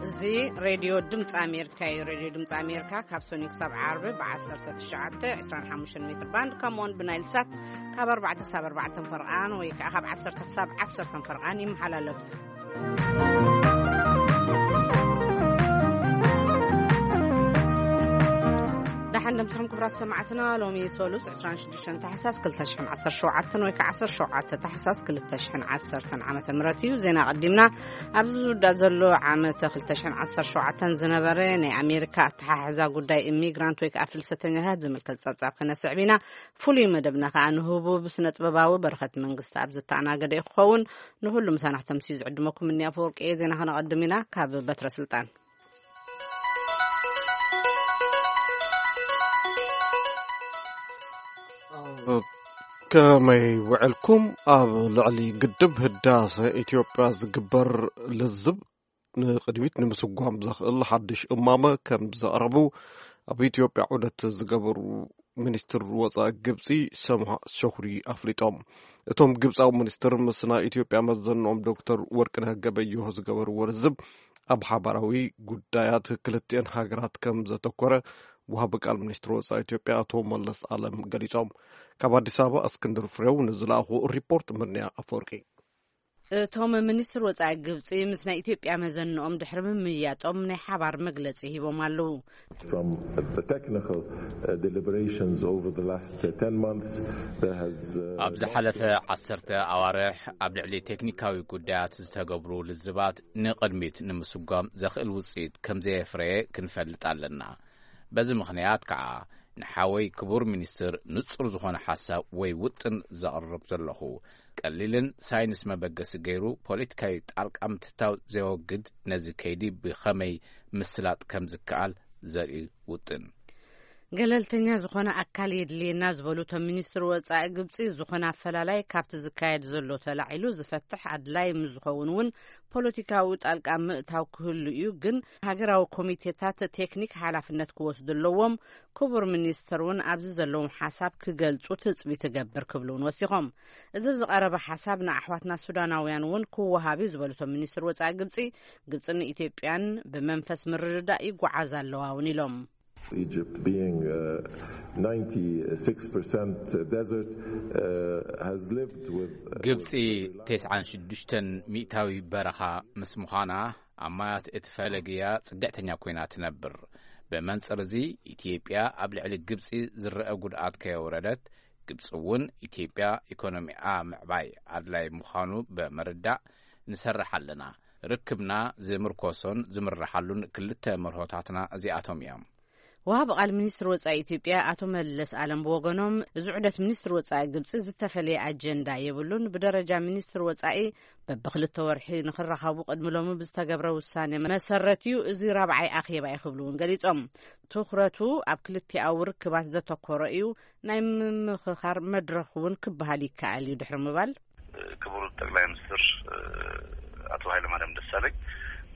እዚ ሬድዮ ድምፂ ኣሜሪካ እዩ። ሬድዮ ድምፂ ኣሜሪካ ካብ ሶኒ ክሳብ ዓርቢ ብ19፣ 25 ሜትር ባንድ፣ ከምኡውን ብናይል ሳት ካብ ኣርባዕተ ክሳብ ኣርባዕተ ፈርቓን ወይ ከዓ ካብ ዓሰርተ ክሳብ ዓሰርተ ፈርቓን ይመሓላለፍ። ደሓን ደምስኹም ክቡራት ሰማዕትና። ሎሚ ሶሉስ 26 ታሕሳስ 2017 ወይ ከዓ 17 ታሕሳስ 2010 ዓመተ ምህረት እዩ። ዜና ቀዲምና። ኣብዚ ዝውዳእ ዘሎ ዓመተ 2017 ዝነበረ ናይ ኣሜሪካ ኣተሓሕዛ ጉዳይ ኢሚግራንት ወይ ከዓ ፍልሰተኛታት ዝምልከት ጸብጻብ ከነስዕብ ኢና። ፍሉይ መደብና ከዓ ንህቡብ ስነ ጥበባዊ በረኸት መንግስቲ ኣብ ዘተኣናገደ እዩ ክኸውን። ንሁሉ ምሳና ክተምስዩ ዝዕድመኩም እኒ ኣፈወርቂ እየ። ዜና ከነቐድም ኢና። ካብ በትረ ስልጣን ከመይ ውዕልኩም? ኣብ ልዕሊ ግድብ ህዳሰ ኢትዮጵያ ዝግበር ልዝብ ንቕድሚት ንምስጓም ዘኽእል ሓድሽ እማመ ከም ዘቕረቡ ኣብ ኢትዮጵያ ዑደት ዝገበሩ ሚኒስትር ወፃኢ ግብፂ ሰምሃ ሸኹሪ ኣፍሊጦም። እቶም ግብፃዊ ሚኒስትር ምስ ናይ ኢትዮጵያ መዘንኦም ዶክተር ወርቅነህ ገበየሁ ዝገበርዎ ልዝብ ኣብ ሓባራዊ ጉዳያት ክልቲአን ሃገራት ከም ዘተኮረ ወሃቢ ቃል ሚኒስትር ወፃኢ ኢትዮጵያ ኣቶ መለስ ኣለም ገሊፆም። ካብ ኣዲስ ኣበባ እስክንድር ፍሬው ንዝለኣኹ ሪፖርት ምንያ ኣፈወርቂ። እቶም ሚኒስትር ወፃኢ ግብፂ ምስ ናይ ኢትዮጵያ መዘንኦም ድሕሪ ምምያጦም ናይ ሓባር መግለፂ ሂቦም ኣለዉ። From the technical, uh, deliberations over the last, uh, ten months, there has, uh, ኣብ ዝሓለፈ ዓሰርተ ኣዋርሕ ኣብ ልዕሊ ቴክኒካዊ ጉዳያት ዝተገብሩ ልዝባት ንቕድሚት ንምስጓም ዘኽእል ውፅኢት ከም ዘየፍረየ ክንፈልጥ ኣለና። በዚ ምኽንያት ከዓ ንሓወይ ክቡር ሚኒስትር ንጹር ዝኾነ ሓሳብ ወይ ውጥን ዘቕርብ ዘለኹ፣ ቀሊልን ሳይንስ መበገሲ ገይሩ ፖለቲካዊ ጣልቃ ምትታው ዘወግድ፣ ነዚ ከይዲ ብኸመይ ምስላጥ ከም ዝከኣል ዘርኢ ውጥን። ገለልተኛ ዝኾነ ኣካል የድልየና ዝበሉ እቶም ሚኒስትር ወፃኢ ግብፂ፣ ዝኾነ ኣፈላላይ ካብቲ ዝካየድ ዘሎ ተላዒሉ ዝፈትሕ ኣድላይ ምስ ዝኸውን እውን ፖለቲካዊ ጣልቃ ምእታው ክህሉ እዩ፣ ግን ሃገራዊ ኮሚቴታት ቴክኒክ ሓላፍነት ክወስዱ ኣለዎም። ክቡር ሚኒስትር እውን ኣብዚ ዘለዎም ሓሳብ ክገልፁ ትፅቢት እገብር ክብሉ እውን ወሲኾም። እዚ ዝቐረበ ሓሳብ ንኣሕዋትና ሱዳናውያን እውን ክወሃብ እዩ ዝበሉ እቶም ሚኒስትር ወፃኢ ግብፂ፣ ግብፅን ኢትዮጵያን ብመንፈስ ምርድዳእ ይጓዓዛ ኣለዋ እውን ኢሎም። Egypt being, uh, ninety-six percent desert, uh, has lived with, uh, ግብፂ with very large 96% በረኻ ምስ ምዃና ኣብ ማያት እቲ ፈለግያ ጽግዕተኛ ኮይና ትነብር። ብመንጽር እዚ ኢትዮጵያ ኣብ ልዕሊ ግብፂ ዝረአ ጉድኣት ከየውረደት፣ ግብፂ እውን ኢትዮጵያ ኢኮኖሚኣ ምዕባይ ኣድላይ ምዃኑ ብምርዳእ ንሰርሕ ኣለና። ርክብና ዝምርኮሶን ዝምርሓሉን ክልተ መርሆታትና እዚኣቶም እዮም። ወሃቢ ቃል ሚኒስትር ወጻኢ ኢትዮጵያ ኣቶ መለስ ኣለም ብወገኖም፣ እዚ ዑደት ሚኒስትር ወጻኢ ግብጺ ዝተፈለየ ኣጀንዳ የብሉን፣ ብደረጃ ሚኒስትር ወጻኢ በብክልተ ወርሒ ንኽራኸቡ ቅድሚ ሎሚ ብዝተገብረ ውሳኔ መሰረት እዩ፣ እዚ ራብዓይ ኣኼባ እዩ ክብሉ እውን ገሊጾም። ትኹረቱ ኣብ ክልቲኣዊ ርክባት ዘተኮረ እዩ፣ ናይ ምምኽኻር መድረኽ እውን ክበሃል ይከኣል እዩ ድሕሪ ምባል። ክቡር ጠቅላይ ሚኒስትር፣ እ፣ አቶ ኃይለማርያም ደሳለኝ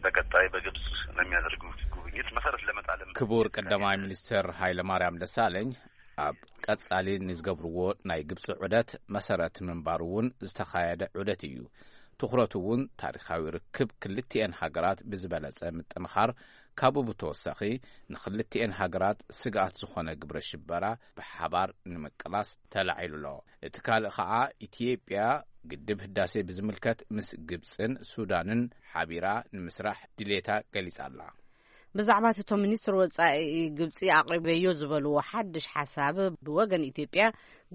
በቀጣይ በግብጽ ለሚያደርጉት ጉብኝት መሰረት ለመጣልም ክቡር ቀዳማይ ሚኒስትር ኃይለማርያም ደሳለኝ ኣብ ቀጻሊ ንዝገብርዎ ናይ ግብጺ ዑደት መሰረት ምንባሩ እውን ዝተኻየደ ዑደት እዩ። ትኹረቱ እውን ታሪኻዊ ርክብ ክልቲኤን ሃገራት ብዝበለጸ ምጥንኻር፣ ካብኡ ብተወሳኺ ንክልቲኤን ሃገራት ስግኣት ዝኾነ ግብረ ሽበራ ብሓባር ንምቅላስ ተላዒሉ ኣሎ። እቲ ካልእ ኸዓ ኢትዮጵያ ግድብ ህዳሴ ብዝምልከት ምስ ግብጽን ሱዳንን ሓቢራ ንምስራሕ ድሌታ ገሊጻ ኣላ። ብዛዕባ እቲ እቶም ሚኒስትር ወጻኢ ግብጺ ኣቕሪበዮ ዝበልዎ ሓድሽ ሓሳብ ብወገን ኢትዮጵያ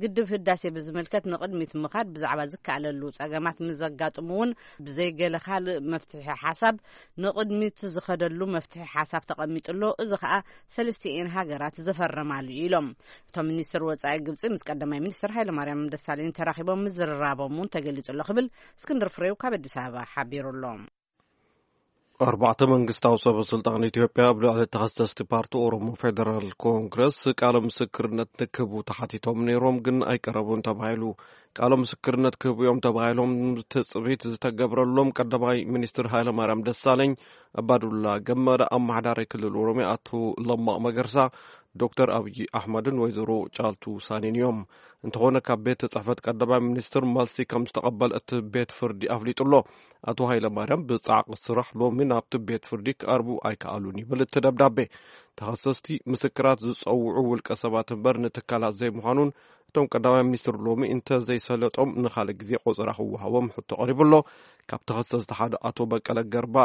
ግድብ ህዳሴ ብዝምልከት ንቕድሚት ምኻድ ብዛዕባ ዝከኣለሉ ጸገማት ምስ ዘጋጥሙ እውን ብዘይ ገለ ካልእ መፍትሒ ሓሳብ ንቕድሚት ዝኸደሉ መፍትሒ ሓሳብ ተቐሚጡ ኣሎ። እዚ ኸኣ ሰለስቲኤን ሃገራት ዝፈረማሉ እዩ ኢሎም። እቶም ሚኒስትር ወጻኢ ግብጺ ምስ ቀዳማይ ሚኒስትር ኃይለማርያም ደሳለኝ ተራኺቦም ምዝርራቦም እውን ተገሊጹ ኣሎ ክብል እስክንድር ፍሬው ካብ ኣዲስ ኣበባ ሓቢሩ ኣሎ። ኣርባዕተ መንግስታዊ ሰበ ስልጣን ኢትዮጵያ ኣብ ልዕሊ ተኸሰስቲ ፓርቲ ኦሮሞ ፌደራል ኮንግረስ ቃለ ምስክርነት ንክህቡ ተሓቲቶም ነይሮም፣ ግን ኣይቀረቡን ተባሂሉ። ቃለ ምስክርነት ክህቡ እዮም ተባሂሎም ትጽቢት ዝተገብረሎም ቀዳማይ ሚኒስትር ሃይለማርያም ደሳለኝ፣ ኣባዱላ ገመዳ፣ ኣመሓዳሪ ክልል ኦሮሚያ ኣቶ ለማ መገርሳ፣ ዶክተር ኣብይ ኣሕመድን ወይዘሮ ጫልቱ ሳኔን እዮም። እንተኾነ ካብ ቤት ጽሕፈት ቀዳማይ ሚኒስትር መልሲ ከም ዝተቐበለ እቲ ቤት ፍርዲ ኣፍሊጡ ኣሎ። ኣቶ ሃይለማርያም ብጻዕቂ ስራሕ ሎሚ ናብቲ ቤት ፍርዲ ክቐርቡ ኣይከኣሉን ይብል እቲ ደብዳቤ። ተኸሰስቲ ምስክራት ዝጸውዑ ውልቀ ሰባት እምበር ንትካላት ዘይምዃኑን፣ እቶም ቀዳማይ ሚኒስትር ሎሚ እንተዘይሰለጦም ንኻልእ ግዜ ቆጸራ ክወሃቦም ሕቶ ቀሪቡ ኣሎ። ካብ ተኸሰስቲ ሓደ ኣቶ በቀለ ገርባ፣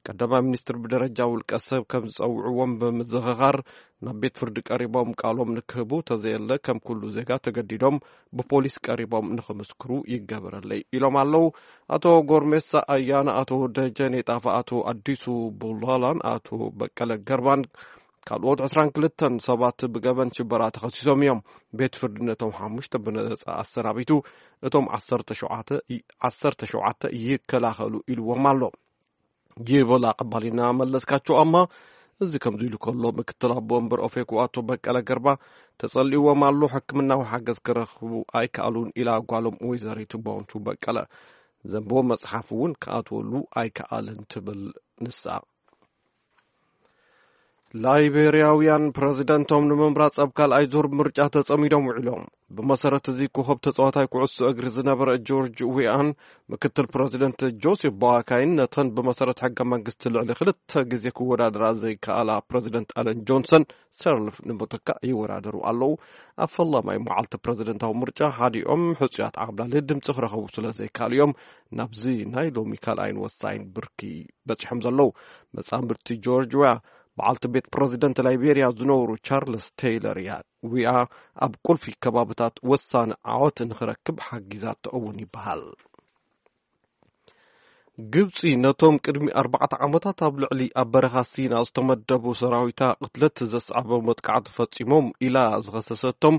ቀዳማይ ሚኒስትር ብደረጃ ውልቀ ሰብ ከም ዝጸውዕዎም ብምዝኽኻር፣ ናብ ቤት ፍርዲ ቀሪቦም ቃሎም ንክህቡ፣ ተዘየለ ከም ኩሉ ዜጋ ተገዲዶም ብፖሊስ ቀሪቦም ንኽምስክሩ ይገበረለይ ኢሎም ኣለዉ። ኣቶ ጎርሜሳ ኣያና፣ ኣቶ ደጀኔ ጣፋ፣ ኣቶ ኣዲሱ ቡላላን ኣቶ በቀለ ገርባን ካልኦት ዕስራን ክልተን ሰባት ብገበን ሽበራ ተኸሲሶም እዮም። ቤት ፍርዲ ነቶም ሓሙሽተ ብነጻ ኣሰናቢቱ፣ እቶም ዓሰርተ ሸውዓተ ይ-፣ ዓሰርተ ሸውዓተ ይከላኸሉ ኢልዎም ኣሎ ይብል ኣቐባሊና መለስካቸው ኣማ። እዚ ከምዚ ኢሉ ከሎ፣ ምክትል ኣቦ ወንበር ኦፌኮ ኣቶ በቀለ ገርባ ተጸሊእዎም ኣሎ፣ ሕክምናዊ ሓገዝ ክረኽቡ ኣይከኣሉን ኢላ ጓሎም ወይዘሪት ቦንቹ በቀለ። ዘንብቦ መጽሓፍ እውን ክኣትወሉ ኣይከኣልን ትብል ንሳ። ላይቤርያውያን ፕረዚደንቶም ንምምራጽ ኣብ ካልኣይ ዙር ምርጫ ተጸሚዶም ውዒሎም። ብመሰረት እዚ ኮኸብ ተጻዋታይ ኩዕሶ እግሪ ዝነበረ ጆርጅ ዊኣን፣ ምክትል ፕረዚደንት ጆሴፍ ቦዋካይን ነተን ብመሰረት ሕገ መንግስቲ ልዕሊ ክልተ ግዜ ክወዳደራ ዘይከኣላ ፕረዚደንት ኣለን ጆንሰን ሰርልፍ ንምትካእ ይወዳደሩ ኣለዉ። ኣብ ፈላማይ መዓልቲ ፕረዚደንታዊ ምርጫ ሓዲኦም ሕጹያት ዓብላሊ ድምጺ ክረኸቡ ስለ ዘይከኣሉ እዮም ናብዚ ናይ ሎሚ ካልኣይን ወሳይን ብርኪ በጺሖም ዘለዉ። መጻምድቲ ጆርጅ ዊያ፣ በዓልቲ ቤት ፕረዚደንት ላይቤርያ ዝነበሩ ቻርልስ ቴይለር እያ። ዊኣ ኣብ ቁልፊ ከባብታት ወሳኒ ዓወት ንኽረክብ ሓጊዛቶ እውን ይበሃል። ግብጺ ነቶም ቅድሚ ኣርባዕተ ዓመታት ኣብ ልዕሊ ኣብ በረኻ ሲና ዝተመደቡ ሰራዊታ ቅትለት ዘስዓበ መጥቃዕቲ ፈጺሞም ኢላ ዝኸሰሰቶም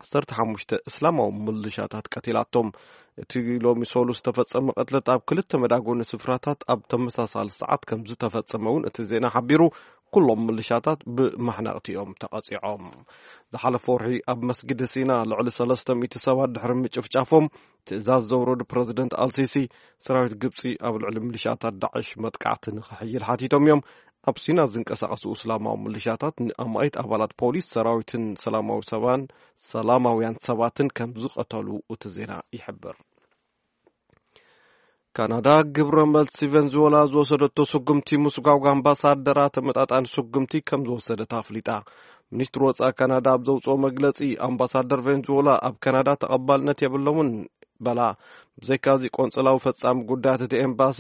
ዓሰርተ ሓሙሽተ እስላማዊ ምልሻታት ቀቲላቶም። እቲ ሎሚ ሰሉስ ዝተፈጸመ ቅትለት ኣብ ክልተ መዳጎኒ ስፍራታት ኣብ ተመሳሳሊ ሰዓት ከም ዝተፈጸመ እውን እቲ ዜና ሓቢሩ። ኩሎም ምልሻታት ብማሕነቕቲ እዮም ተቐጺዖም። ዝሓለፈ ወርሒ ኣብ መስጊድ ሲና ልዕሊ ሰለስተ ሚእቲ ሰባት ድሕሪ ምጭፍጫፎም፣ ትእዛዝ ዘውረዱ ፕረዚደንት ኣልሲሲ፣ ሰራዊት ግብጺ ኣብ ልዕሊ ምልሻታት ዳዕሽ መጥቃዕቲ ንኽሕይል ሓቲቶም እዮም። ኣብ ሲና ዝንቀሳቐሱ እስላማዊ ምልሻታት ንኣማኢት ኣባላት ፖሊስ ሰራዊትን ሰላማዊ ሰባን፣ ሰላማውያን ሰባትን ከም ዝቐተሉ እቲ ዜና ይሕብር። ካናዳ ግብረ መልሲ ቬንዙዌላ ዝወሰደቶ ስጉምቲ ምስጓጓ ኣምባሳደራ ተመጣጣኒ ስጉምቲ ከም ዝወሰደት ኣፍሊጣ። ሚኒስትሪ ወጻኢ ካናዳ ኣብ ዘውጽኦ መግለጺ፣ ኣምባሳደር ቬንዙዌላ ኣብ ካናዳ ተቐባልነት የብሎምን በላ። ብዘይካዚ ቆንጽላዊ ፈጻሚ ጉዳያት እቲ ኤምባሲ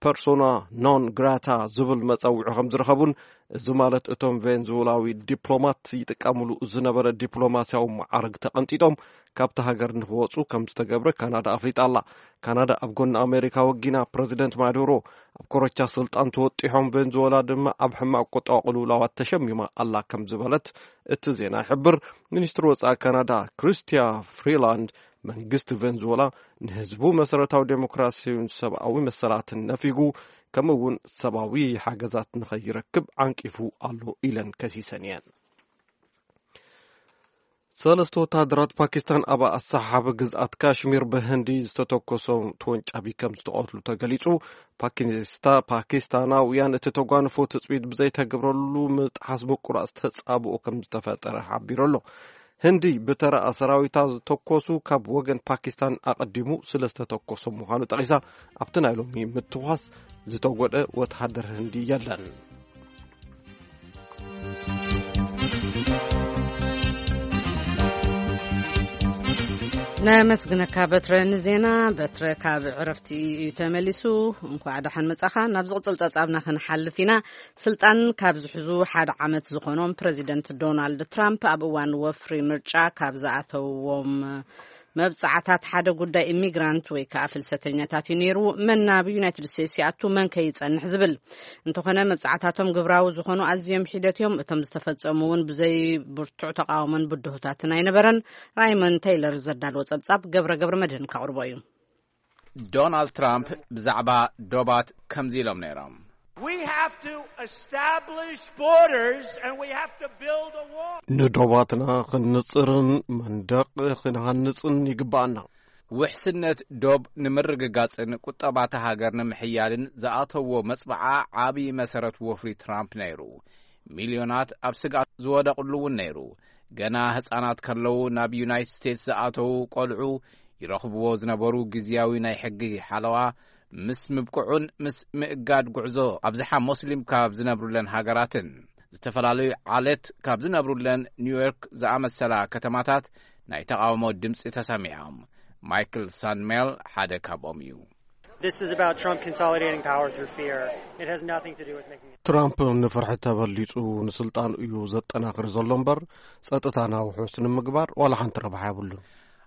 ፐርሶና ኖን ግራታ ዝብል መጸውዒ ከም ዝረኸቡን፣ እዚ ማለት እቶም ቬንዙዌላዊ ዲፕሎማት ይጥቀምሉ ዝነበረ ዲፕሎማስያዊ መዓርግ ተቐንጢጦም ካብቲ ሃገር ንክወጹ ከም ዝተገብረ ካናዳ ኣፍሊጣ ኣላ። ካናዳ ኣብ ጎኒ ኣሜሪካ ወጊና ፕረዚደንት ማዱሮ ኣብ ኮረቻ ስልጣን ተወጢሖም፣ ቬንዙዌላ ድማ ኣብ ሕማቕ ቁጠባዊ ቅልውላዋት ተሸሚማ ኣላ ከም ዝበለት እቲ ዜና ይሕብር። ሚኒስትሪ ወጻኢ ካናዳ ክሪስቲያ ፍሪላንድ፣ መንግስቲ ቬንዙዌላ ንህዝቡ መሰረታዊ ዴሞክራሲን ሰብኣዊ መሰላትን ነፊጉ፣ ከምኡ እውን ሰብኣዊ ሓገዛት ንኸይረክብ ዓንቂፉ ኣሎ ኢለን ከሲሰን እየን። ሰለስተ ወታደራት ፓኪስታን ኣብ ኣሰሓቢ ግዝኣት ካሽሚር ብህንዲ ዝተተኮሶ ተወንጫቢ ከም ዝተቐትሉ ተገሊጹ። ፓኪስታ ፓኪስታናውያን እቲ ተጓንፎ ትጽቢት ብዘይተገብረሉ ምጥሓስ ምቁራጽ ተጻብኦ ከም ዝተፈጠረ ሓቢሩ ኣሎ። ህንዲ ብተራ ሰራዊታ ዝተኮሱ ካብ ወገን ፓኪስታን ኣቐዲሙ ስለ ዝተተኮሶ ምዃኑ ጠቒሳ፣ ኣብቲ ናይ ሎሚ ምትኳስ ዝተጎደ ወተሃደር ህንዲ የለን። ነመስግነካ በትረ ንዜና። በትረ ካብ ዕረፍቲ እዩ ተመሊሱ። እንኳዕ ደሓን መጻኻ። ናብ ዝቕጽል ጸብጻብና ክንሓልፍ ኢና። ስልጣን ካብ ዝሕዙ ሓደ ዓመት ዝኾኖም ፕረዚደንት ዶናልድ ትራምፕ፣ ኣብ እዋን ወፍሪ ምርጫ ካብ ዝኣተውዎም መብጻዕታት ሓደ ጉዳይ ኢሚግራንት ወይ ከዓ ፍልሰተኛታት እዩ ነይሩ። መን ናብ ዩናይትድ ስቴትስ ይኣቱ፣ መን ከ ይጸንሕ ዝብል። እንተኾነ መብጻዕታቶም ግብራዊ ዝኾኑ ኣዝዮም ሒደት እዮም። እቶም ዝተፈጸሙ እውን ብዘይ ብርቱዕ ተቃውሞን ብድሆታትን ኣይነበረን። ራይመን ቴይለር ዘዳለዎ ጸብጻብ ገብረ ገብረ መድህን ከቕርቦ እዩ። ዶናልድ ትራምፕ ብዛዕባ ዶባት ከምዚ ኢሎም ነይሮም። We have to establish borders and we have to build a wall. ንዶባትና ክንጽርን መንደቕ ክንሃንጽን ይግባኣና። ውሕስነት ዶብ ንምርግጋጽን ቁጠባታ ሃገር ንምሕያልን ዝኣተዎ መጽብዓ ዓቢ መሰረት ወፍሪ ትራምፕ ነይሩ። ሚልዮናት ኣብ ስግኣት ዝወደቕሉ እውን ነይሩ። ገና ህጻናት ከለዉ ናብ ዩናይትድ ስቴትስ ዝኣተዉ ቆልዑ ይረኽብዎ ዝነበሩ ግዝያዊ ናይ ሕጊ ሓለዋ ምስ ምብቅዑን ምስ ምእጋድ ጉዕዞ ኣብዝሓ ሞስሊም ካብ ዝነብሩለን ሃገራትን ዝተፈላለዩ ዓሌት ካብ ዝነብሩለን ኒውዮርክ ዝኣመሰላ ከተማታት ናይ ተቓውሞ ድምፂ ተሰሚዖም። ማይክል ሳንሜል ሓደ ካብኦም እዩ። This is about Trump consolidating power through fear. It has nothing to do with making it. ትራምፕ ንፍርሒ ተበሊጹ ንስልጣን እዩ ዘጠናኽር ዘሎ እምበር፣ ጸጥታና ውሑስ ንምግባር ዋላ ሓንቲ ረብሓ የብሉን።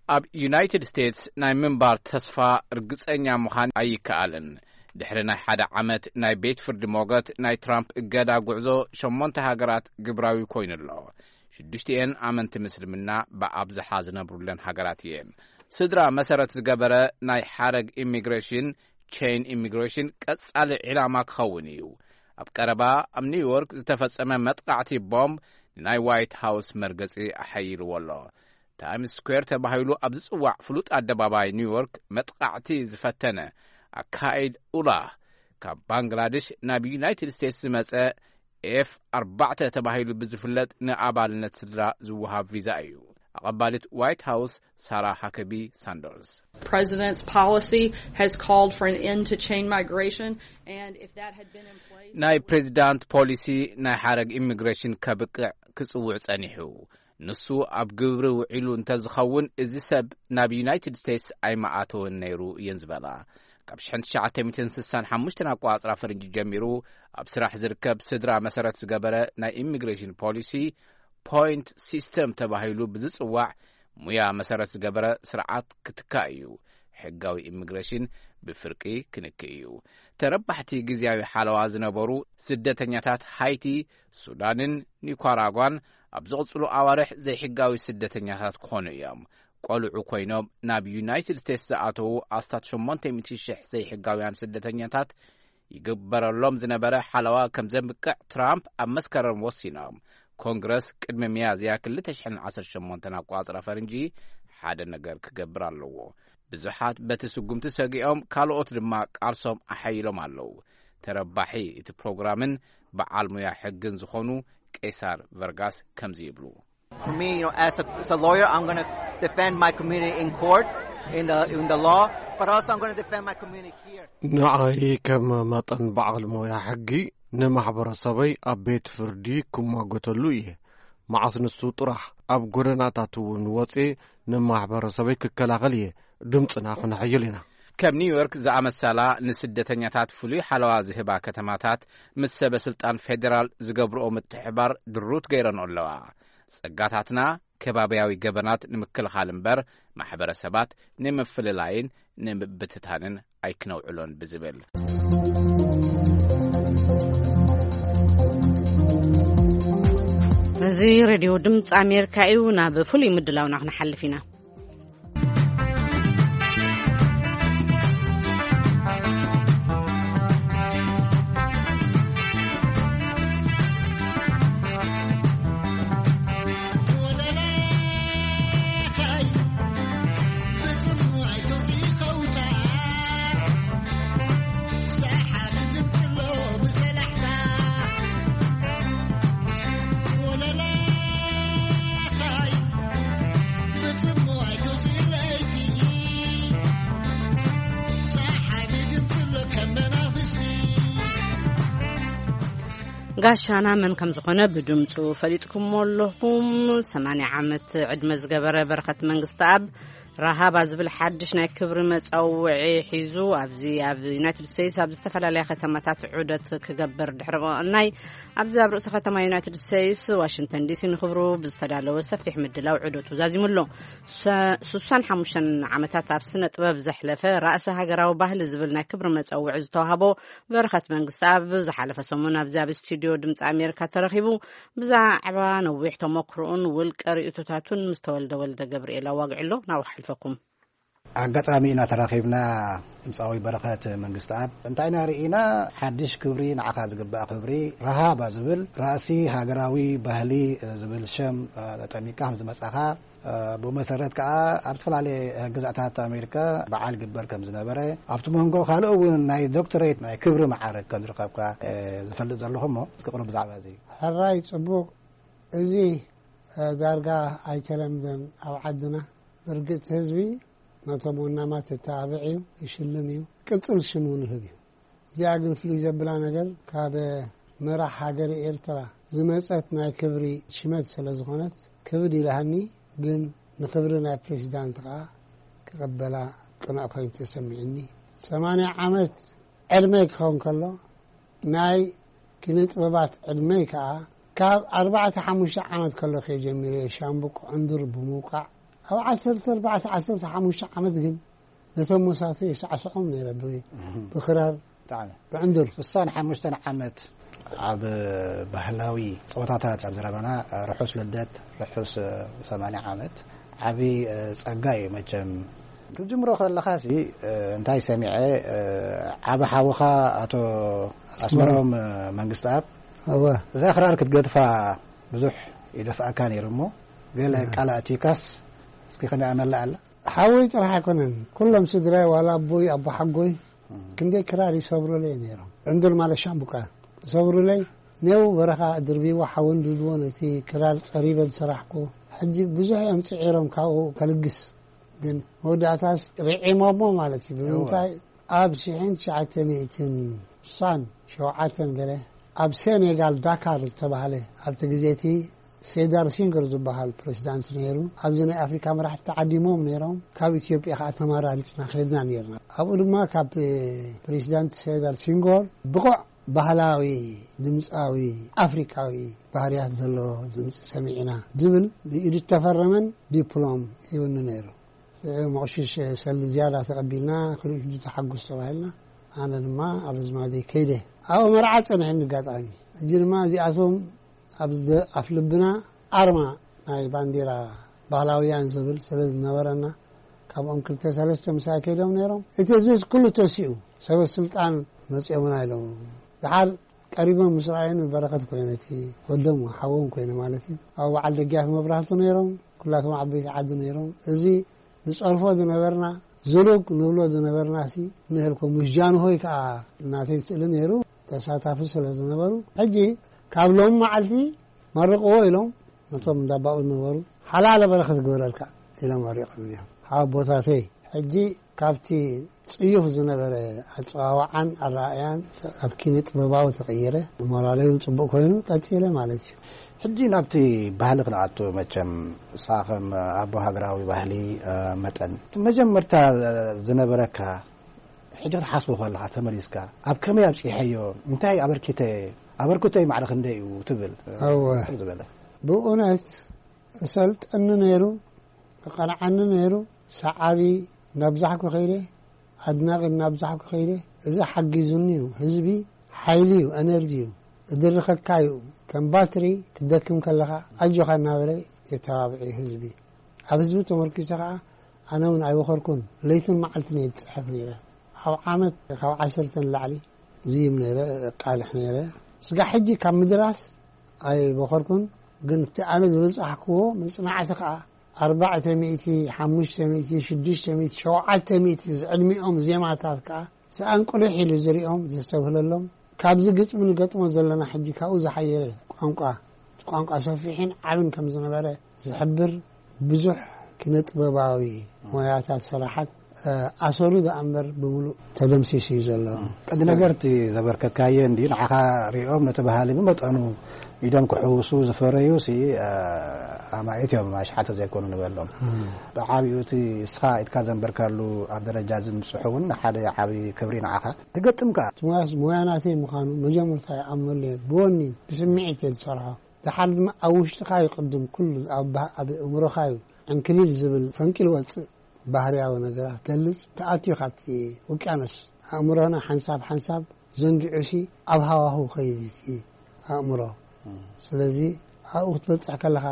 ኣብ ዩናይትድ ስቴትስ ናይ ምንባር ተስፋ ርግጸኛ ምዃን ኣይከኣልን። ድሕሪ ናይ ሓደ ዓመት ናይ ቤት ፍርዲ ሞገት፣ ናይ ትራምፕ እገዳ ጉዕዞ ሸሞንተ ሃገራት ግብራዊ ኮይኑ ኣሎ። ሽዱሽቲኤን ኣመንቲ ምስልምና ብኣብዝሓ ዝነብሩለን ሃገራት እየን። ስድራ መሰረት ዝገበረ ናይ ሓረግ ኢሚግሬሽን፣ ቼን ኢሚግሬሽን፣ ቀጻሊ ዒላማ ክኸውን እዩ። ኣብ ቀረባ ኣብ ኒውዮርክ ዝተፈጸመ መጥቃዕቲ ቦምብ ንናይ ዋይት ሃውስ መርገጺ ኣሐይልዎ ኣሎ። ታይምስ ስኩዌር ተባሂሉ ኣብ ዝጽዋዕ ፍሉጥ ኣደባባይ ኒውዮርክ መጥቃዕቲ ዝፈተነ ኣካይድ ኡላህ፣ ካብ ባንግላዴሽ ናብ ዩናይትድ ስቴትስ ዝመጸ ኤፍ ኣርባዕተ ተባሂሉ ብዝፍለጥ ንኣባልነት ስድራ ዝወሃብ ቪዛ እዩ። ኣቐባሊት ዋይት ሃውስ ሳራ ሃከቢ ሳንደርስ፣ President's policy has called for an end to chain migration, and if that had been in place, ናይ ፕሬዚዳንት ፖሊሲ ናይ ሓረግ ኢሚግሬሽን ከብቅዕ ክጽውዕ ጸኒሑ። ንሱ ኣብ ግብሪ ውዒሉ እንተዝኸውን፣ እዚ ሰብ ናብ ዩናይትድ ስቴትስ ኣይመኣተወን ነይሩ እየን ዝበላ። ካብ ሽሕን ትሽዓተ ሚእትን ስሳን ሓሙሽተን ኣቋጽራ ፈረንጂ ጀሚሩ ኣብ ስራሕ ዝርከብ ስድራ መሰረት ዝገበረ ናይ ኢሚግሬሽን ፖሊሲ፣ ፖይንት ሲስተም ተባሂሉ ብዝጽዋዕ ሙያ መሰረት ዝገበረ ስርዓት ክትካእ እዩ። ሕጋዊ ኢሚግሬሽን ብፍርቂ ክንክእ እዩ። ተረባሕቲ ግዝያዊ ሓለዋ ዝነበሩ ስደተኛታት ሃይቲ፣ ሱዳንን ኒኳራጓን ኣብ ዝቕጽሉ ኣዋርሕ ዘይሕጋዊ ስደተኛታት ክኾኑ እዮም። ቆልዑ ኮይኖም ናብ ዩናይትድ ስቴትስ ዝኣተዉ ኣስታት ሸሞንተ ሚእቲ ሽሕ ዘይሕጋውያን ስደተኛታት ይግበረሎም ዝነበረ ሓለዋ ከም ዘብቅዕ ትራምፕ ኣብ መስከረም ወሲኖም። ኮንግረስ ቅድሚ ሚያዝያ ክልተ ሽሕን ዓሰርተ ሸሞንተን ኣቋጽራ ፈረንጂ ሓደ ነገር ክገብር ኣለዎ። ብዙሓት በቲ ስጉምቲ ሰጊኦም፣ ካልኦት ድማ ቃልሶም ኣሓይሎም ኣለዉ። ተረባሒ እቲ ፕሮግራምን በዓል ሙያ ሕግን ዝኾኑ ቄሳር ቨርጋስ ከምዚ ይብሉ። For me, you know, as a, as a lawyer, I'm going to defend my community in court, in the in the law, but also I'm going to defend my community here. ንዓይ ከም መጠን በዓል ሞያ ሕጊ ንማሕበረሰበይ ኣብ ቤት ፍርዲ ክሟገተሉ እየ። መዓስ ንሱ ጥራሕ ኣብ ጎደናታት እውን ወፅየ ንማሕበረሰበይ ክከላኸል እየ ድምፅና ክነሐይል ኢና። ከም ኒውዮርክ ዝኣመሰላ ንስደተኛታት ፍሉይ ሓለዋ ዝህባ ከተማታት ምስ ሰበ ስልጣን ፌዴራል ዝገብርኦ ምትሕባር ድሩት ገይረን ኣለዋ። ጸጋታትና ከባብያዊ ገበናት ንምክልኻል እምበር ማሕበረሰባት ንምፍልላይን ንምብትታንን ኣይክነውዕሎን ብዝብል። እዚ ሬድዮ ድምፂ ኣሜሪካ እዩ። ናብ ፍሉይ ምድላውና ክንሓልፍ ኢና። ጋሻና መን ከም ዝኾነ ብድምፁ ፈሊጥኩሞ ኣለኹም። ሰማንያ ዓመት ዕድመ ዝገበረ በረኸት መንግስተኣብ፣ ረሃባ ዝብል ሓድሽ ናይ ክብሪ መጸውዒ ሒዙ ኣብዚ ኣብ ዩናይትድ ስቴትስ ኣብ ዝተፈላለያ ከተማታት ዑደት ክገብር ድሕሪ ምቕናይ፣ ኣብዚ ኣብ ርእሰ ከተማ ዩናይትድ ስቴትስ ዋሽንግተን ዲሲ ንኽብሩ ብዝተዳለወ ሰፊሕ ምድላው ዑደቱ ዛዚሙ ኣሎ። ሰ-፣ ስሳን ሓሙሽተን ዓመታት ኣብ ስነ ጥበብ ዘሕለፈ፣ ራእሲ ሃገራዊ ባህሊ ዝብል ናይ ክብሪ መጸውዒ ዝተዋህቦ በረኸት መንግስተኣብ ዝሓለፈ ሰሙን ኣብዚ ኣብ ስቱዲዮ ድምፂ ኣሜሪካ ተረኺቡ ብዛዕባ ነዊሕ ተመክሮኡን ውልቀ ርእይቶታቱን ምስ ተወልደ ወልደ ገብርኤል ኣዋጊዑ ኣሎ። ናብኡ ክሓልፈኩም። ኣጋጣሚ ኢና ተራኺብና። ድምፃዊ በረኸት መንግስተኣብ፣ እንታይ ኢና ርኢና? ሓድሽ ክብሪ፣ ንዓኻ ዝግባእ ክብሪ፣ ረሃባ ዝብል ራእሲ ሃገራዊ ባህሊ ዝብል ሸም፣ እ፣ ጠሚካ ከም ዝመጻኻ ብኡ መሰረት ከዓ ኣብ ዝተፈላለየ ግዝኣታት ኣሜሪካ በዓል ግበር ከም ዝነበረ፣ ኣብቲ መንጎ ካልእ እውን ናይ ዶክተሬት ናይ ክብሪ መዓርግ ከም ዝረኸብካ ዝፈልጥ ዘለኹ፣ እሞ እስኪ ቅሩብ ብዛዕባ እዚ። ሕራይ ጽቡቕ። እዚ ዳርጋ ኣይተለምደን ኣብ ዓድና። ብርግጽ ህዝቢ ነቶም ወናማት የተባብዕ እዩ፣ ይሽልም እዩ፣ ቅጽል ሽም እውን ይህብ እዩ። እዚኣ ግን ፍልይ ዘብላ ነገር ካብ መራሕ ሃገር ኤርትራ ዝመጸት ናይ ክብሪ ሽመት ስለ ዝኾነት ክብድ ኢላሃኒ፣ ግን ንክብሪ ናይ ፕሬዚዳንት ከዓ ክቕበላ ቅኑዕ ኮይኑ ተሰሚዕኒ። ሰማንያ ዓመት ዕድመይ ክኸውን ከሎ ናይ ኪነ ጥበባት ዕድመይ ከዓ ካብ ኣርባዕተ ሓሙሽተ ዓመት ከሎ ከጀሚረ ሻምቡቅ ዕንዱር ብምውቃዕ ኣብ ዓሰርተ ኣርባዕተ ዓሰርተ ሓሙሽተ ዓመት ግን ነቶም መሳቱ የሳዕስዖም ነይረ ብ- ብክራር ብዕንዱር። ስሳን ሓሙሽተን ዓመት ኣብ ባህላዊ ፀወታታት ኣብ ዘረባና ርሑስ ልደት፣ ርሑስ ሰማንያ ዓመት። ዓቢ ጸጋ እዩ መቸም። ክትጅምሮ ከለኻሲ እንታይ ሰሚዐ፣ ዓቢ ሓውኻ ኣቶ ኣስመሮም መንግስተኣብ እወ። እዛ ክራር ክትገድፋ ብዙሕ ይደፍኣካ ነይሩ እሞ፣ ገለ ቃል ኣእትዩካስ እስኪ ከመይ ኣመላ ኣላ? ሓወይ ጥራሕ ኣይኮነን፣ ኩሎም ስድራይ፣ ዋላ ኣቦይ፣ ኣቦ ሓጎይ ክንደይ ክራር ይሰብሩለይ ነይሮም። ዕንዱር ማለት ሻምቡቃ ይሰብሩለይ። ኔው በረኻ ድርቢዎ ሓወን ድልዎ ነቲ ክራር ጸሪበ ዝሰራሕኩ። ሕጂ ብዙሕ እዮም ጽዒሮም ካብኡ ከልግስ፣ ግን መወዳእታስ ርዒሞሞ ማለት እዩ። ብምንታይ? ኣብ ሽሕን ትሽዓተ ሚእትን ስሳን ሸውዓተን ገለ ኣብ ሴኔጋል ዳካር ዝተባህለ፣ ኣብቲ ግዜ እቲ ሴዳር ሲንገር ዝበሃል ፕሬዚዳንት ነይሩ። ኣብዚ ናይ ኣፍሪካ መራሕቲ ተዓዲሞም ነይሮም። ካብ ኢትዮጵያ ከዓ ተመራሪፅና ከድና ነይርና። ኣብኡ ድማ ካብ ፕሬዚዳንት ሴዳር ሲንጎር ብቑዕ ባህላዊ ድምፃዊ ኣፍሪካዊ ባህርያት ዘለዎ ድምፂ ሰሚዕና ዝብል ብኢዱ ዝተፈረመን ዲፕሎም ሂቡኒ ነይሩ። ሽዑ መቕሽሽ ሰልዲ ዝያዳ ተቐቢልና፣ ክልኢቱ ተሓጉስ ተባሂልና። ኣነ ድማ ኣብ ኣዝማደይ ከይደ ኣብኡ መርዓ ጸንሐኒ ኣጋጣሚ። ሕጂ ድማ እዚኣቶም ኣብ ዝደ- ኣፍ ልብና ኣርማ ናይ ባንዲራ ባህላውያን ዝብል ስለ ዝነበረና፣ ካብኦም ክልተ ሰለስተ ምሳይ ከይዶም ነይሮም። እቲ ህዝቢ ኩሉ ተሲኡ፣ ሰበ ስልጣን መጺኦምና ኢሎም። ድሓር ቀሪቦም ምስ ረኣዩኒ በረኸት ኮይነ፣ እቲ ወዶም ሓዎም ኮይነ ማለት እዩ። ኣብ በዓል ደግያት መብራህቱ ነይሮም፣ ኩላቶም ዓበይቲ ዓዲ ነይሮም። እዚ ንጸርፎ ዝነበርና፣ ዝሉግ ንብሎ ዝነበርና ሲ ንህልኮ ምስ ጃንሆይ ከኣ እናተይ ስእሊ ነይሩ፣ ተሳታፊ ስለ ዝነበሩ። ሕጂ ካብ ሎሚ መዓልቲ መርቕዎ ኢሎም ነቶም እንዳባኡ ዝነበሩ ሓላለ በረኸት ግበረልካ ኢሎም መሪቖም እዮም። ሓቦታተይ ሕጂ ካብቲ ጽዩፍ ዝነበረ ኣጸዋውዓን ኣረኣእያን ኣብ ኪነ ጥበባዊ ተቐይረ። ሞራለይ እውን ጽቡቕ ኮይኑ ቀጺለ ማለት እዩ። ሕጂ ናብቲ ባህሊ ክንኣቱ መቸም፣ ንስኻ ከም ኣቦ ሃገራዊ ባህሊ፣ እ፣ መጠን፣ እቲ መጀመርታ ዝነበረካ፣ ሕጂ ክትሓስቦ ከለኻ ተመሊስካ፣ ኣብ ከመይ ኣብጺሐዮ፣ እንታይ ኣበርኪተ፣ ኣበርክቶይ ማዕረ ክንደይ እዩ ትብል? እወ። ዝበለ። ብእውነት እሰልጠኒ ነይሩ፣ እቐንዓኒ ነይሩ። ሰዓቢ እናብዛሕኩ ከይደ፣ ኣድናቒ እናብዛሕኩ ከይደ። እዚ ሓጊዙኒ እዩ። ህዝቢ ሓይሊ እዩ፣ ኤነርጂ እዩ፣ ዝድርኸካ እዩ። ከም ባትሪ ክትደክም ከለኻ ኣጆኻ እናበለ የተባብዕ እዩ ህዝቢ። ኣብ ህዝቢ ተመርኪሰ ከዓ ኣነ እውን ኣይበኸርኩን፣ ለይትን መዓልትን እየ ዝፅሕፍ ነይረ። ኣብ ዓመት ካብ ዓሰርተ ንላዕሊ ዝይም ነይረ፣ እቃልሕ ነይረ። ስጋዕ ሕጂ ካብ ምድራስ ኣይበኸርኩን፣ ግን እቲ ኣነ ዝበጻሕክዎ መጽናዕቲ ከኣ ኣርባዕተ ሚእቲ፣ ሓሙሽተ ሚእቲ፣ ሽዱሽተ ሚእቲ፣ ሸውዓተ ሚእቲ ዝዕድሚኦም ዜማታት ከኣ ሰኣን ቁልሕ ኢሉ ዝሪኦም ዘስተብህለሎም። ካብዚ ግጥሚ ንገጥሞ ዘለና ሕጂ ካብኡ ዝሓየለ ቋንቋ፣ እቲ ቋንቋ ሰፊሕን ዓብን ከም ዝነበረ ዝሕብር ብዙሕ ኪነ ጥበባዊ ሞያታት ስራሓት፣ እ፣ ኣሰሩ ደኣ እምበር ብምሉእ ተደምሲሱ እዩ ዘሎ። ቀንዲ ነገር እቲ ዘበርከካዮ እንድዩ፣ ንዓኻ ሪኦም ነቲ ባህሊ ብመጠኑ ኢዶም ክሕውሱ ዝፈረዩ ሲ፣ እ፣ ኣማኢት እዮም፣ ኣሽሓት ዘይኮኑ ንበሎም። ብዓቢኡ እቲ እስኻ ኢድካ ዘንበርካሉ ኣብ ደረጃ እዚ ምብጽሑ እውን ሓደ ዓቢ ክብሪ ንዓኻ። ትገጥም ከኣ። እቲ ሞያስ ሞያ ናተይ ምዃኑ መጀመርታ ይኣምነሉ እየ። ብወኒ ብስምዒት እየ ዝሰርሖ። ደሓር ድማ ኣብ ውሽጥኻ እዩ ቅድም ኩሉ፣ ኣብ ባህ-፣ ኣብ እምሮኻ እዩ ዕንክሊል ዝብል ፈንቂል ወጽእ። ባህርያዊ ነገራት ገልጽ ተኣትዩ ካብቲ ውቅያኖስ ኣእምሮና ሓንሳብ ሓንሳብ ዘንጊዑሲ ኣብ ሃዋህው ከይድ እቲ ኣእምሮ። ስለዚ ኣብኡ ክትበጽሕ ከለኻ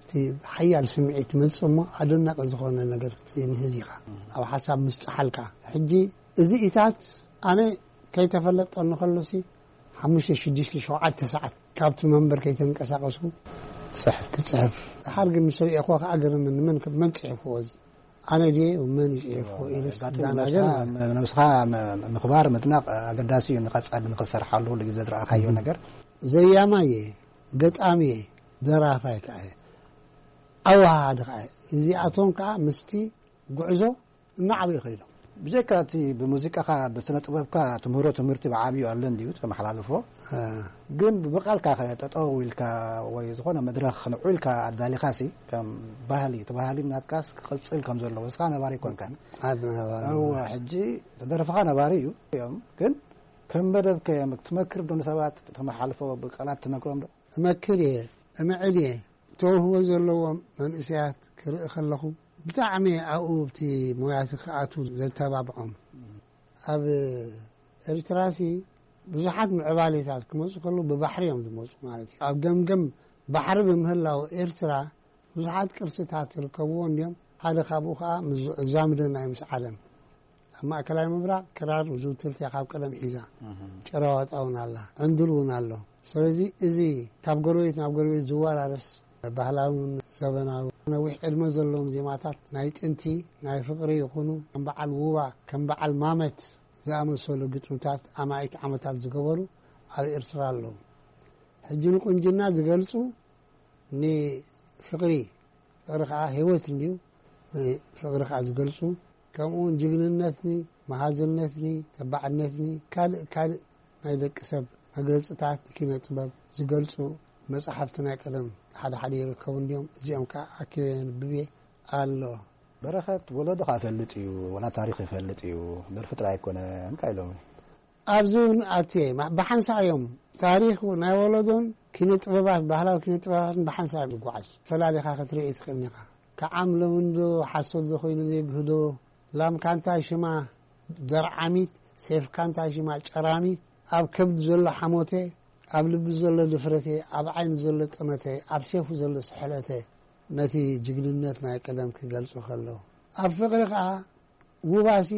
እቲ ሓያል ስምዒት ትመጽእ እሞ ኣደናቂ ዝኾነ ነገር ክትምህዝ ኢኻ። ኣብ ሓሳብ ምስ ጸሓልካ። ሕጂ እዚ ኢታት ኣነ ከይተፈለጠኒ ከሎሲ ሓሙሽተ፣ ሽዱሽተ፣ ሸውዓተ ሰዓት ካብቲ መንበር ከይተንቀሳቐስኩ ጽሕፍ። ክጽሕፍ። ድሓር ግን ምስ ርእኹ ከኣ ገርምን፣ መን መን ጽሒፍዎ እዚ? ኣነ ድየ? መን እዩ ጽሒፍዎ ኢልስ ኣጋጣሚ ዝዳናገር ነብስኻ፣ ነብስኻ ም- ምኽባር ምድናቕ ኣገዳሲ እዩ። ንቐጻሊ ንኽሰርሓሉ ኩሉ ግዜ ዝረኣኻዮ ነገር ዘያማይ እየ፣ ገጣሚ እየ፣ ደራፋይ ከኣ እየ፣ ኣወሃሃዲ ከኣ እየ። እዚኣቶም ከኣ ምስቲ ጉዕዞ እናዓበዩ ከይዶም። ብጀካ እቲ ብሙዚቃኻ ብስነ ጥበብካ ትምህሮ ትምህርቲ ብዓብዩ ኣሎ እንድዩ ተመሓላልፎ፣ ግን ብቃልካ ጠጠው ኢልካ ወይ ዝኾነ መድረኽ ንዑ ኢልካ ኣዳሊኻሲ ከም ባህሊ እቲ ባህሊ ናትካስ ክቕጽል ከም ዘለዎ እስኻ ነባሪ ኮንካ። ኣብ ነባሪ እወ፣ ሕጂ ተደርፍኻ ነባሪ እዩ እዮም፣ ግን ከም መደብ ከ ትመክር ዶ ንሰባት? ተመሓልፎ ብቃላት ትመክሮም ዶ? እመክር እየ፣ እምዕድ እየ። ተውህቦ ዘለዎም መንእሰያት ክርኢ ከለኹ ብጣዕሚ ኣብኡ ኣብቲ ሞያቲ ክኣቱ ዘተባብዖም። ኣብ ኤርትራሲ ብዙሓት ምዕባሌታት ክመፁ ከለዉ ብባሕሪ እዮም ዝመፁ ማለት እዩ። ኣብ ገምገም ባሕሪ ብምህላው ኤርትራ ብዙሓት ቅርስታት ዝርከብዎ እንዲዮም። ሓደ ካብኡ ከዓ ምስ ዛምድና እዩ ምስ ዓለም ኣብ ማእከላይ ምብራቕ ክራር ዝውትርቲ እያ ካብ ቀደም ሒዛ። ጨረዋጣ እውን ኣላ፣ ዕንዱል እውን ኣሎ። ስለዚ እዚ ካብ ጎረቤት ናብ ጎረቤት ዝወራረስ ባህላውን ዘበናዊ ነዊሕ ዕድመ ዘለዎም ዜማታት ናይ ጥንቲ ናይ ፍቕሪ ይኹኑ ከም በዓል ውባ ከም በዓል ማመት ዝኣመሰሉ ግጥምታት ኣማኢት ዓመታት ዝገበሩ ኣብ ኤርትራ ኣለዉ። ሕጂ ንቁንጅና ዝገልጹ ንፍቕሪ፣ ፍቕሪ ከዓ ህይወት እንድዩ። ፍቕሪ ከዓ ዝገልጹ ከምኡ እውን ጅግንነትኒ፣ መሃዝነትኒ፣ ተባዕነትኒ ካልእ ካልእ ናይ ደቂ ሰብ መግለፅታት ኪነ ጥበብ ዝገልፁ መፅሓፍቲ ናይ ቀደም ሓደ ሓደ ይርከቡ እንድዮም። እዚኦም ከዓ ኣኪበ የንብብ እየ ኣሎ። በረኸት ወለዶኻ ይፈልጥ እዩ፣ ወላ ታሪኽ ይፈልጥ እዩ፣ ደርፊ ጥራይ ኣይኮነን ኢሎም። ኣብዚ እውን ኣትየ ማ- ብሓንሳእ እዮም ታሪኽ ናይ ወለዶን ኪነ ጥበባት ባህላዊ ኪነ ጥበባትን ብሓንሳእ እዮም ዝጓዓዝ። ፈላሊኻ ክትርኢ ትኽእል ኢኻ። ከዓም ሎሚ እንዶ ሓሶት ዶ ኮይኑ ዘይግህዶ ላምካ እንታይ ሽማ ደርዓሚት ሴፍካ እንታይ ሽማ ጨራሚት ኣብ ከብዲ ዘሎ ሓሞተ ኣብ ልቢ ዘሎ ድፍረተ ኣብ ዓይኒ ዘሎ ጠመተ ኣብ ሴፉ ዘሎ ስሕለተ ነቲ ጅግንነት ናይ ቀደም ክገልጹ ከለዉ ኣብ ፍቕሪ ከኣ ውባሲ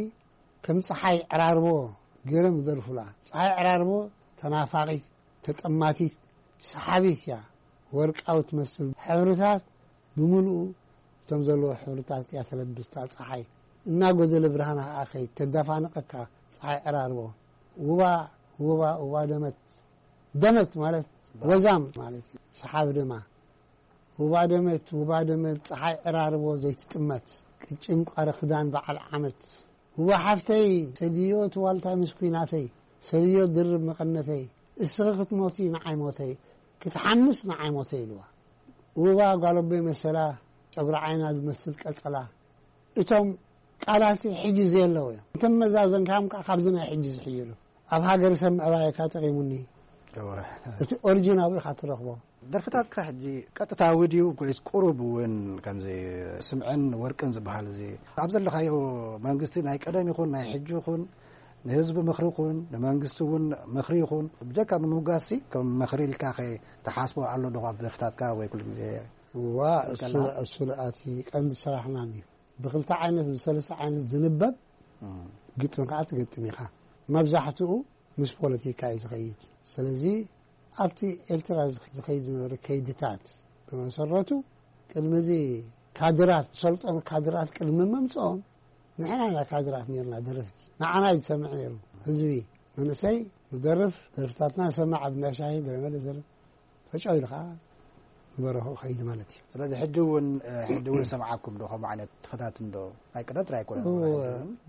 ከም ጸሓይ ዕራርቦ ገይሮም ይደርፉላ። ጸሓይ ዕራርቦ ተናፋቒት፣ ተጠማቲት፣ ሰሓቢት እያ። ወርቃዊ ትመስል ሕብርታት ብምልኡ እቶም ዘለዎ ሕብርታት እያ ተለብስታ ጸሓይ። እናጎደለ ብርሃና ከኣ ከይድ ተደፋንቐካ ጸሓይ ዕራርቦ። ውባ፣ ውባ፣ ውባ ደመት። ደመት ማለት ወዛም ማለት እዩ። ሰሓቢ ድማ። ውባ ደመት፣ ውባ ደመት፣ ጸሓይ ዕራርቦ ዘይትጥመት። ቅጭን ቋሪ ክዳን በዓል ዓመት። ውባ ሓፍተይ፣ ሰድዮ እቲ ዋልታይ ምስ ኲናተይ፣ ሰድዮ ድርብ መቐነተይ፣ እስኺ ክትሞቲ ንዓይ ሞተይ፣ ክትሓምስ ንዓይ ሞተይ ኢልዋ። ውባ ጓል ኣቦይ መሰላ፣ ጨጉሪ ዓይና ዝመስል ቀጸላ። እቶም ቃላሲ ሕጂ ዘየለዉ እዮም። እንተ መዛዘንካዮም ከኣ ካብዚ ናይ ሕጂ ዝሕይሉ። ኣብ ሃገር ሰብ ምዕባየካ ጠቒሙኒ። እወ። እቲ ኦሪጂን ኣብኡ ኢኻ ትረኽቦ። ደርፍታትካ ሕጂ ቀጥታዊ ድዩ ወይስ ቁሩብ እውን ከምዚ ስምዕን ወርቅን ዝበሃል እዚ ኣብ ዘለኻዮ መንግስቲ ናይ ቀደም ይኹን ናይ ሕጂ ይኹን ንህዝቢ ምኽሪ ይኹን ንመንግስቲ እውን ምኽሪ ይኹን ብጀካ ንምውጋስሲ ከም ምኽሪ ኢልካ ኸ ትሓስቦ ኣሎ ዶ ኣብ ደርፍታትካ ወይ ኩሉ ግዜ? እዋ እሱ እሱ እቲ ቀንዲ ስራሕና እዩ። ብክልተ ዓይነት ብሰለስተ ዓይነት ዝንበብ ግጥም ከዓ ትገጥም ኢኻ። መብዛሕትኡ ምስ ፖለቲካ እዩ ዝኸይድ። ስለዚ ኣብቲ ኤርትራ ዝኸይድ ዝነበረ ከይድታት ብመሰረቱ ቅድሚ እዚ ካድራት ዝሰልጠኑ ካድራት ቅድሚ ምምፅኦም ንሕና ኢና ካድራት ነርና ደረፍቲ ንዓና እዩ ዝሰምዕ ነይሩ ህዝቢ መንእሰይ ንደርፍ ደርፍታትና ሰማዕ ኣብ እንዳሻሂ ገለመለ ዘለ ፈጫው ኢሉ ከዓ ንበረኽኡ ከይድ ማለት እዩ። ስለዚ ሕጂ እውን ሕጂ እውን ሰምዓኩም ዶ ከምኡ ዓይነት ተፈታትን ዶ ናይ ቅደም ጥራይ ኣይኮነን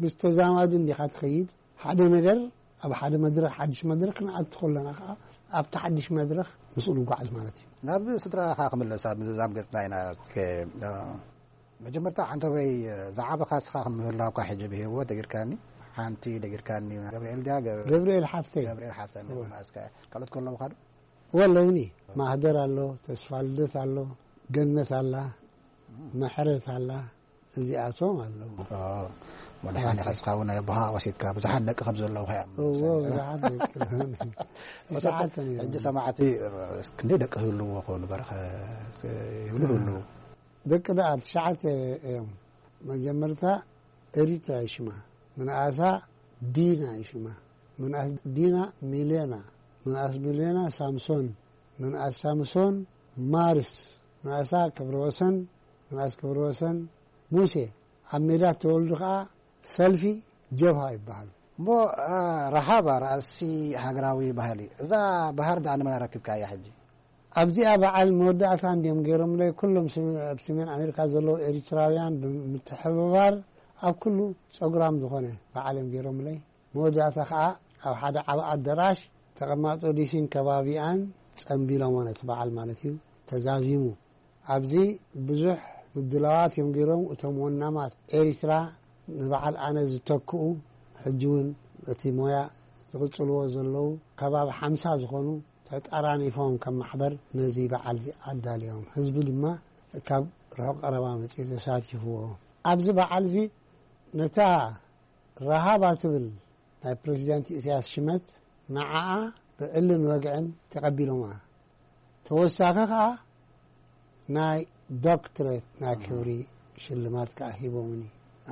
ምስ ተዛማዱ እንዲኻ ትኸይድ ሓደ ነገር ኣብ ሓደ መድረኽ ሓድሽ መድረኽ ክንኣቱ ከለና ከዓ ኣብቲ ሓድሽ መድረኽ ምስኡ ንጓዓዝ ማለት እዩ። ናብ ስድራኻ ክምለስ ኣብ ምዝዛም ገጽና ኢና። መጀመርታ ሓንተበይ ዝዓበኻ እስኻ ከም ምህላውካ ሕጂ ብህይወት ደጊርካኒ ሓንቲ ደጊርካኒ ገብርኤል ድያ ገ- ገብርኤል ሓፍተይ ገብርኤል ሓፍተይ እወ። እናበልና እስከ ካልኦት ከለውኻ ዶ ወለውኒ ማህደር ኣሎ፣ ተስፋ ልደት ኣሎ፣ ገነት ኣላ፣ ምሕረት ኣላ፣ እዚኣቶም ኣለዉ። መድሓኒ ሓስኻ እውን ናይ ኣቦኻ ወሲድካ ብዙሓት ደቂ ከም ዘለውኻ እዮም እዎ ብዙሓት ደቂ ኣለዉኒ። ትሽዓተ ነይሮም። ሕጂ ሰማዕቲ ክንደይ ደቂ ህልዎ ኾኑ በረኸ ይብሉ ህልዉ። ደቂ ደኣ ትሽዓተ እዮም። መጀመርታ ኤሪትራ ይሽማ ምንኣሳ ዲና ይሽማ ምንኣስ ዲና ሚሌና ምንኣስ ሚሌና ሳምሶን ምንኣስ ሳምሶን ማርስ፣ መእሳ ክብረወሰን፣ መእስ ክብረወሰን፣ ሙሴ ኣብ ሜዳ ተወልዱ ከኣ ሰልፊ ጀብሃ ይበሃሉ። እሞ፣ አ፣ ረሃባ ራእሲ ሃገራዊ ባህሊ፣ እዛ ባህር ደኣ ንመን ኣረኪብካያ ሕጂ? ኣብዚኣ በዓል መወዳእታ እንድዮም ገይሮምለይ። ኩሎም ስም-፣ ኣብ ሰሜን ኣሜሪካ ዘለዉ ኤሪትራውያን ብምትሕብባር ኣብ ኩሉ ጸጉራም ዝኾነ በዓል እዮም ገይሮምለይ። መወዳእታ ኸኣ ኣብ ሓደ ዓቢ ኣደራሽ ተቐማጦ ዲሲን ከባቢኣን ጸምቢሎሞ ነቲ በዓል ማለት እዩ ተዛዚሙ። ኣብዚ ብዙሕ ምድላዋት እዮም ገይሮም። እቶም ወናማት ኤሪትራ ንበዓል ኣነ ዝተክኡ ሕጂ እውን እቲ ሞያ ዝቕጽልዎ ዘለዉ ከባቢ ሓምሳ ዝኾኑ ተጠራኒፎም ከም ማሕበር ነዚ በዓል እዚ ኣዳልዮም። ህዝቢ ድማ ካብ ርሑቕ ቀረባ መጺኡ ተሳቲፍዎ። ኣብዚ በዓል እዚ ነታ ረሃባ ትብል ናይ ፕረዚደንት ኢሳያስ ሽመት ንዓኣ ብዕልን ወግዕን ተቐቢሎማ። ተወሳኺ ኸኣ ናይ ዶክትሬት ናይ ክብሪ ሽልማት ከኣ ሂቦምኒ።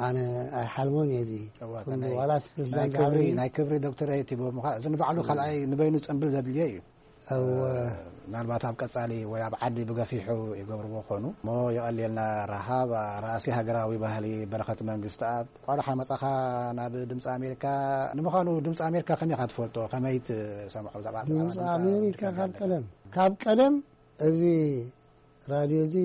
ኣነ ኣይሓልሞን እየ እዚ እዋ፣ ኩሉ፣ ናይ፣ ዋላ እቲ ናይ ፕረዚዳንት ክብሪ፣ ዝሃበኒ ናይ ክብሪ ዶክተሬት ሂቦምኻ። እዚ ንባዕሉ ካልኣይ ንበይኑ ጽምብል ዘድልዮ እዩ። እወ። ምናልባት ኣብ ቀጻሊ ወይ ኣብ ዓዲ ብገፊሑ ይገብርዎ ኾኑ። እሞ የቐልየልና ረሃብ፣ ራእሲ ሃገራዊ ባህሊ በረኸት መንግስትኣብ። እንኳዕ ደሓን መጻኻ ናብ ድምፂ ኣሜሪካ። ንምዃኑ ድምፂ ኣሜሪካ ከመይ ኢኻ ትፈልጦ? ከመይ ትሰምዖ? ብዛዕባ ድምፂ ኣሜሪካ ካብ ቀደም፣ ካብ ቀደም እዚ ራድዮ እዚ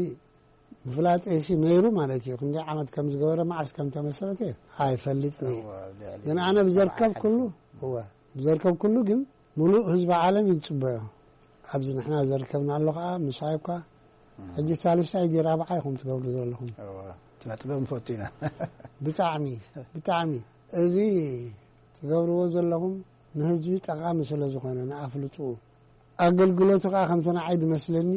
ምፍላጠይሲ ነይሩ ማለት እዩ። ክንደይ ዓመት ከም ዝገበረ፣ መዓስ ከም ተመስረተ ኣይፈልጥን እየ። እወ፣ ልዕሊ ግን ኣነ ብዘርከብ ኩሉ፣ እወ፣ ብዘርከብ ኩሉ ግን ምሉእ ህዝቢ ዓለም እዩ ዝጽበዮ። ኣብዚ ንሕና ዘርከብናሉ ከኣ ምሳይ እኳ እም። ሕጂ ሳልሳይ ድዩ ራብዓይ ኢኹም ትገብሩ ዘለኹም። እወ፣ ስነ ጥበብ ንፈቱ ኢና። ብጣዕሚ፣ ብጣዕሚ። እዚ ትገብርዎ ዘለኹም ንህዝቢ ጠቓሚ ስለ ዝኾነ፣ ንኣፍልጥኡ። ኣገልግሎቱ ከኣ ከምቲ ንዓይ ዝመስለኒ፣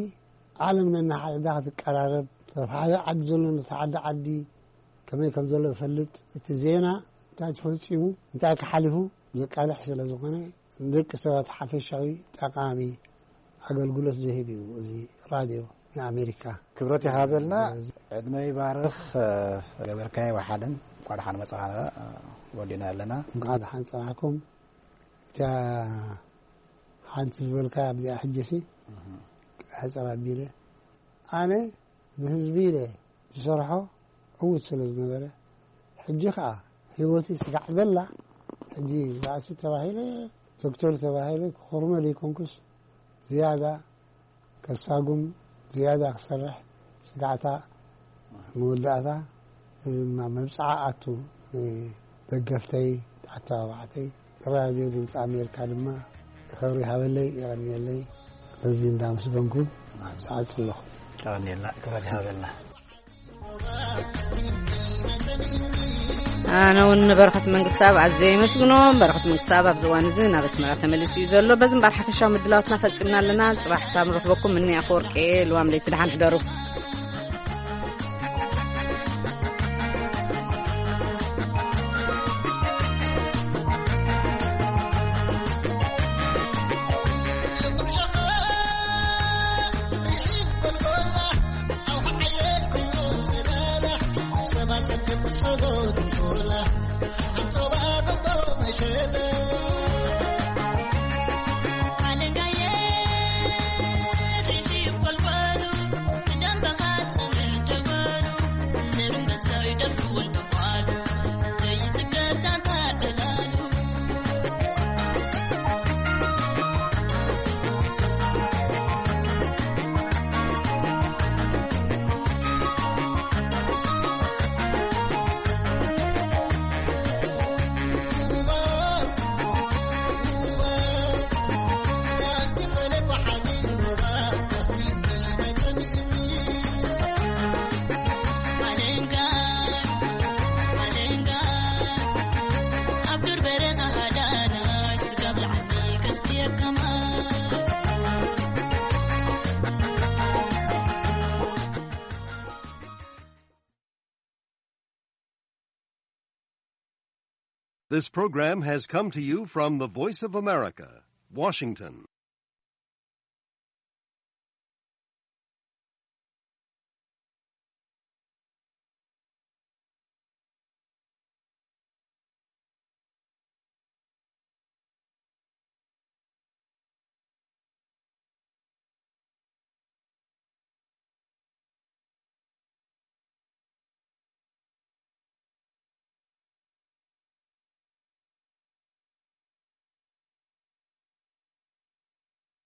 ዓለም ነናሓድሕዳ ክትቀራረብ፣ ኣብ ሓደ ዓዲ ዘሎ ነቲ ሓደ ዓዲ ከመይ ከም ዘሎ ይፈልጥ፣ እቲ ዜና እንታይ ተፈጺሙ፣ እንታይ ክሓሊፉ ዘቃልሕ ስለ ዝኾነ፣ ንደቂ ሰባት ሓፈሻዊ ጠቓሚ ኣገልግሎት ዝህብ እዩ እዚ ራድዮ ንኣሜሪካ። ክብረት ይሃበልና፣ እዚ ዕድመ ይባርኽ፣ እ፣ ገበርካዮ ወሓደን፣ እንኳዕ ደሓን መጻኻ፣ እ፣ ወዲና ኣለና። እንኳዕ ደሓን ጸናሕኩም። እታ ሓንቲ ዝበልካ ኣብዚኣ ሕጂሲ እህ። ሕጽር ኣቢለ፣ ኣነ ንህዝቢ ኢለ ዝሰርሖ ዕዉት ስለ ዝነበረ፣ ሕጂ ኸኣ ህይወቲ ስጋዕ ዘላ፣ ሕጂ ራእሲ ተባሂለ፣ ዶክተር ተባሂለ ክኹርመ ዘይኮንኩስ፣ ዝያዳ ከሳጉም፣ ዝያዳ ክሰርሕ ስጋዕታ መወዳእታ። እዚ ድማ መብጽዓ ኣቱ ንደገፍተይ፣ ኣተባባዕተይ፣ ራድዮ ድምፂ ኣሜሪካ ድማ ክብሪ ይሃበለይ፣ የቐንየለይ። በዚ እንዳመስገንኩ ዝዓጽ ኣለኹ። የቐንየልና፣ ክብረት ይሃበልና። ኣነ እውን ንበረኸት መንግስታብ ኣዝየ የመስግኖ። በረኸት መንግስታብ ኣብዚ እዋን እዚ ናብ ኣስመራ ተመሊሱ እዩ ዘሎ። በዚ እምበኣር ሓፈሻዊ ምድላዋትና ፈጺምና ኣለና። ጽባሕ ክሳብ ንረኽበኩም፣ ምኒ ኣፈወርቂ እየ። ልዋም ለይቲ ደሓን ሕደሩ። This program has come to you from the Voice of America, Washington.